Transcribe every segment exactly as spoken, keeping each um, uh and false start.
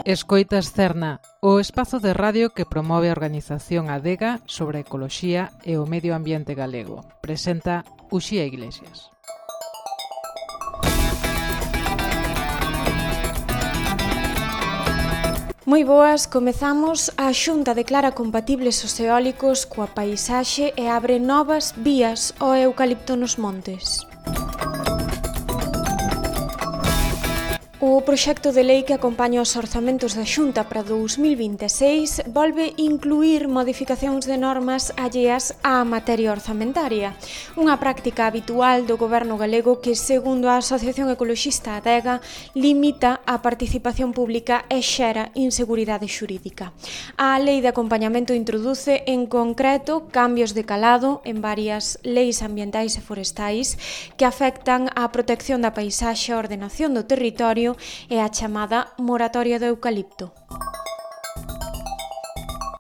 Escoitas Cerna, o espazo de radio que promove a organización Adega sobre a ecoloxía e o medio ambiente galego. Presenta Uxía Iglesias. Moi boas, comezamos. A Xunta declara compatibles os eólicos coa paisaxe e abre novas vías ao eucalipto nos montes. O proxecto de lei que acompaña os orzamentos da Xunta para dous mil vinte e seis volve incluir modificacións de normas alleas á materia orzamentaria, unha práctica habitual do goberno galego que, segundo a Asociación Ecoloxista Adega, limita a participación pública e xera inseguridade xurídica. A lei de acompañamento introduce, en concreto, cambios de calado en varias leis ambientais e forestais que afectan á protección da paisaxe, a ordenación do territorio e a chamada moratoria do eucalipto.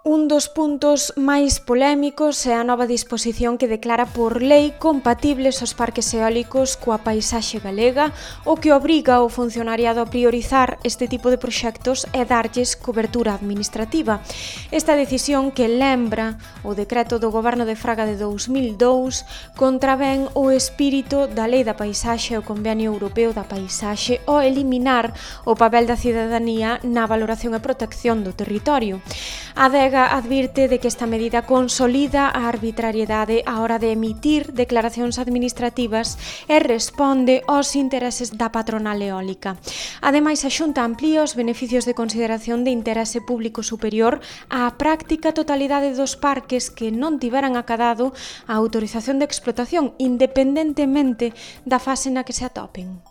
Un dos puntos máis polémicos é a nova disposición que declara por lei compatibles os parques eólicos coa paisaxe galega, o que obriga ao funcionariado a priorizar este tipo de proxectos e darlles cobertura administrativa. Esta decisión, que lembra o decreto do Goberno de Fraga de dous mil dous, contravén o espírito da Lei da Paisaxe e o Convenio Europeo da Paisaxe ao eliminar o papel da cidadanía na valoración e protección do territorio. A Adega advirte de que esta medida consolida a arbitrariedade á hora de emitir declaracións administrativas e responde aos intereses da patronal eólica. Ademais, a Xunta amplía os beneficios de consideración de interese público superior á práctica totalidade dos parques que non tiveran acadado a autorización de explotación, independentemente da fase na que se atopen.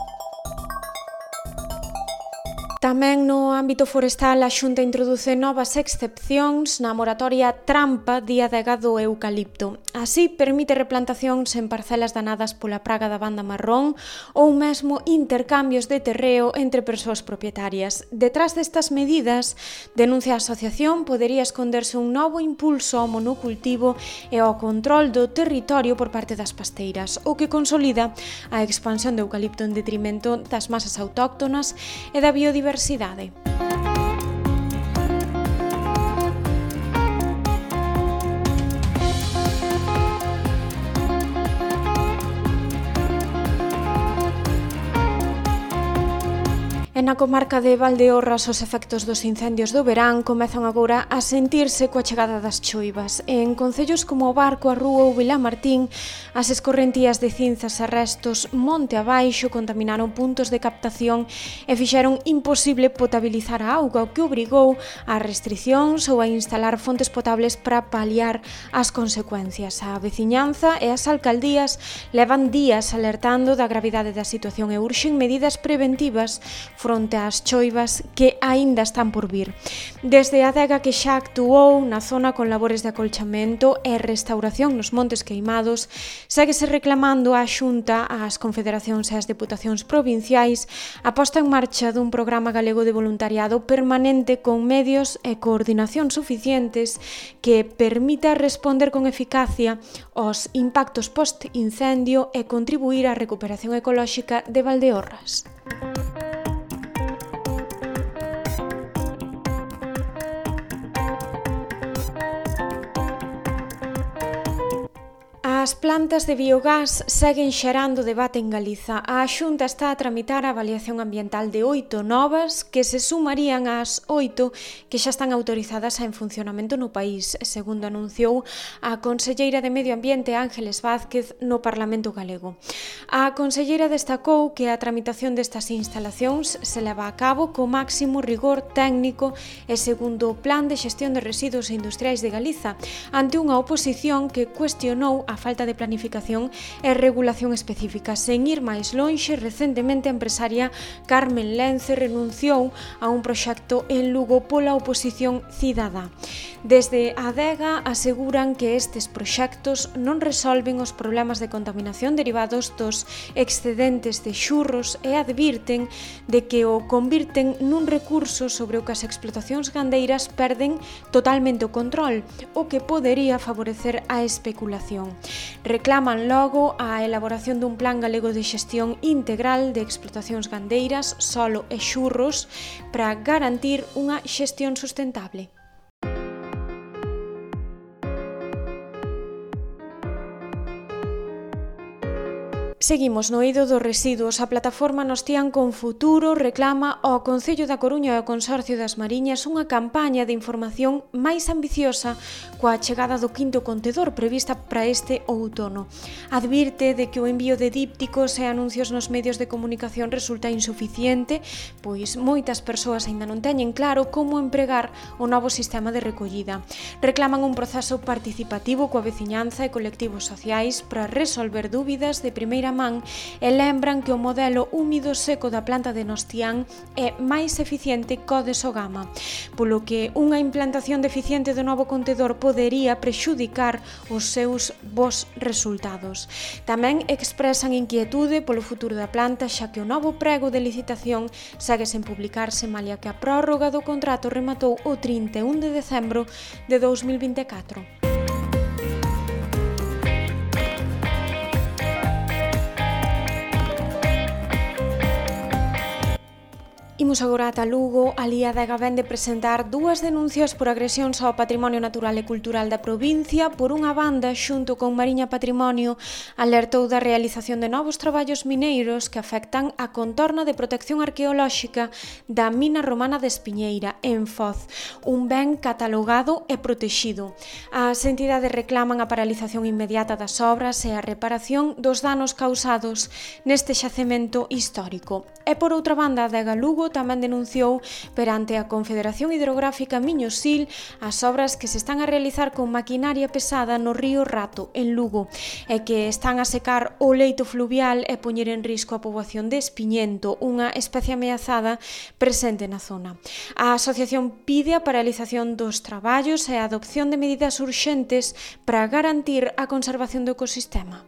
Tamén no ámbito forestal, a Xunta introduce novas excepcións na moratoria trampa de adega do eucalipto. Así, permite replantacións en parcelas danadas pola praga da banda marrón ou mesmo intercambios de terreo entre persoas propietarias. Detrás destas medidas, denuncia a asociación, podería esconderse un novo impulso ao monocultivo e ao control do territorio por parte das pasteiras, o que consolida a expansión do eucalipto en detrimento das masas autóctonas e da biodiversidade. Diversidade. E na comarca de Valdeorras, os efectos dos incendios do verán comezan agora a sentirse coa chegada das choivas. En concellos como o Barco, a Rúa ou Vilamartín, as escorrentías de cinzas e restos monte abaixo contaminaron puntos de captación e fixeron imposible potabilizar a auga, o que obrigou a restricións ou a instalar fontes potables para paliar as consecuencias. A veciñanza e as alcaldías levan días alertando da gravidade da situación e urxen medidas preventivas fronte ás choivas que aínda están por vir. Desde a Adega, que xa actuou na zona con labores de acolchamento e restauración nos montes queimados, séguese reclamando á Xunta, ás confederacións e ás deputacións provinciais a posta en marcha dun programa galego de voluntariado permanente con medios e coordinación suficientes que permita responder con eficacia aos impactos post-incendio e contribuir á recuperación ecolóxica de Valdeorras. As plantas de biogás seguen xerando debate en Galiza. A Xunta está a tramitar a avaliación ambiental de oito novas que se sumarían ás oito que xa están autorizadas en funcionamento no país, segundo anunciou a conselleira de Medio Ambiente Ángeles Vázquez no Parlamento galego. A conselleira destacou que a tramitación destas instalacións se leva a cabo co máximo rigor técnico e segundo o Plan de Xestión de Residuos Industriais de Galiza, ante unha oposición que cuestionou a falta falta de planificación e regulación específica. Sen ir máis lonxe, recentemente a empresaria Carmen Lence renunciou a un proxecto en Lugo pola oposición cidadá. Desde a Adega aseguran que estes proxectos non resolven os problemas de contaminación derivados dos excedentes de xurros e advirten de que o convirten nun recurso sobre o que as explotacións gandeiras perden totalmente o control, o que podería favorecer a especulación. Reclaman logo a elaboración dun plan galego de xestión integral de explotacións gandeiras, solo e xurros para garantir unha xestión sustentable. Seguimos no eido dos residuos. A plataforma Nos Tían con Futuro reclama ao Concello da Coruña e ao Consorcio das Mariñas unha campaña de información máis ambiciosa coa chegada do quinto contedor prevista para este outono. Advirte de que o envío de dípticos e anuncios nos medios de comunicación resulta insuficiente, pois moitas persoas aínda non teñen claro como empregar o novo sistema de recollida. Reclaman un proceso participativo coa veciñanza e colectivos sociais para resolver dúbidas de primeira man e lembran que o modelo húmido seco da planta de Nostián é máis eficiente có de Sogama, polo que unha implantación deficiente do novo contedor podería prexudicar os seus bons resultados. Tamén expresan inquietude polo futuro da planta, xa que o novo prego de licitación segue sen publicarse, malia que a prórroga do contrato rematou o trinta e un de decembro de dous mil vinte e catro. Imos agora ata Lugo. Alí a Adega vén de presentar dúas denuncias por agresións ao patrimonio natural e cultural da provincia. Por unha banda, xunto con Mariña Patrimonio, alertou da realización de novos traballos mineiros que afectan a contorna de protección arqueolóxica da mina romana de Espiñeira, en Foz, un ben catalogado e protexido. As entidades reclaman a paralización inmediata das obras e a reparación dos danos causados neste xacemento histórico. E por outra banda, a Adega Lugo tamén denunciou perante a Confederación Hidrográfica Miño-Sil as obras que se están a realizar con maquinaria pesada no río Rato, en Lugo, e que están a secar o leito fluvial e poñer en risco a poboación de espiñento, unha especie ameazada presente na zona. A asociación pide a paralización dos traballos e a adopción de medidas urxentes para garantir a conservación do ecosistema.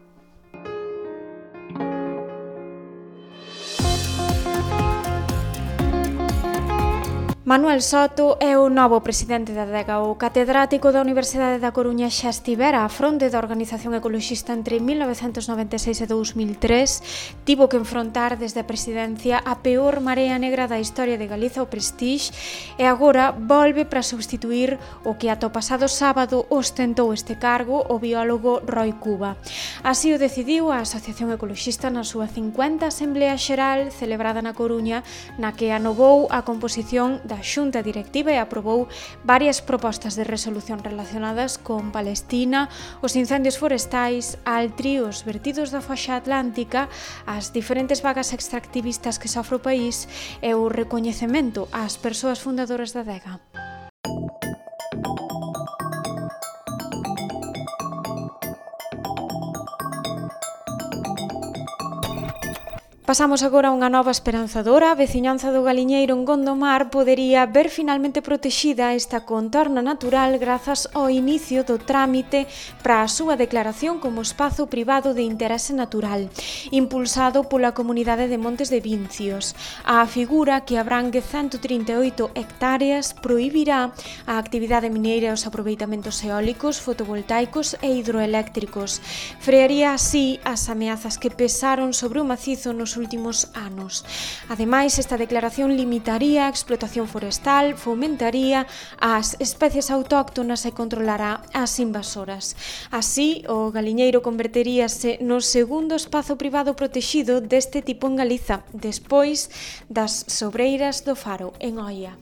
Manuel Soto é o novo presidente da Adega. O catedrático da Universidade da Coruña xa estivera á fronte da organización ecoloxista entre mil novecentos noventa e seis e dous mil tres. Tivo que enfrontar desde a presidencia a peor marea negra da historia de Galiza, o Prestige, e agora volve para substituir o que ata o pasado sábado ostentou este cargo, o biólogo Roi Cuba. Así o decidiu a Asociación Ecoloxista na súa cincuenta Asamblea Xeral celebrada na Coruña, na que anovou a composición da Xunta Directiva e aprobou varias propostas de resolución relacionadas con Palestina, os incendios forestais, Altri, os vertidos da foxa atlántica, as diferentes vagas extractivistas que sofre o país e o recoñecemento ás persoas fundadoras da Adega. Pasamos agora a unha nova esperanzadora. A veciñanza do Galiñeiro en Gondomar podería ver finalmente protexida esta contorna natural grazas ao inicio do trámite para a súa declaración como espazo privado de interese natural, impulsado pola Comunidade de Montes de Vincios. A figura, que abrangue ciento trinta e oito hectáreas, prohibirá a actividade mineira e os aproveitamentos eólicos, fotovoltaicos e hidroeléctricos. Frearía así as ameazas que pesaron sobre o macizo nos últimos anos. Ademais, esta declaración limitaría a explotación forestal, fomentaría as especies autóctonas e controlará as invasoras. Así, o Galiñeiro converteríase no segundo espazo privado protexido deste tipo en Galiza, despois das Sobreiras do Faro, en Oia.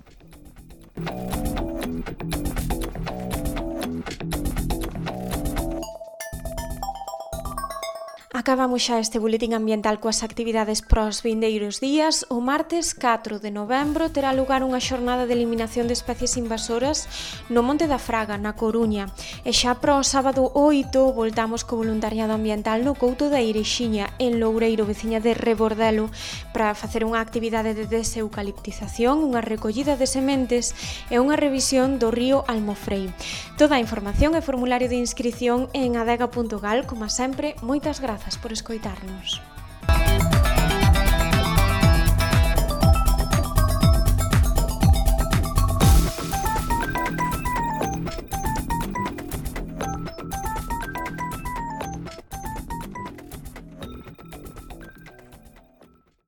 Acabamos xa este boletín ambiental coas actividades pros vindeiros días. O martes catro de novembro terá lugar unha xornada de eliminación de especies invasoras no Monte da Fraga, na Coruña. E xa pro sábado oito voltamos co voluntariado ambiental no Couto da Irexiña, en Loureiro, veciña de Rebordelo, para facer unha actividade de deseucaliptización, unha recollida de sementes e unha revisión do río Almofrei. Toda a información e formulario de inscrición en adega punto gal. Como sempre, moitas grazas por escoitarnos.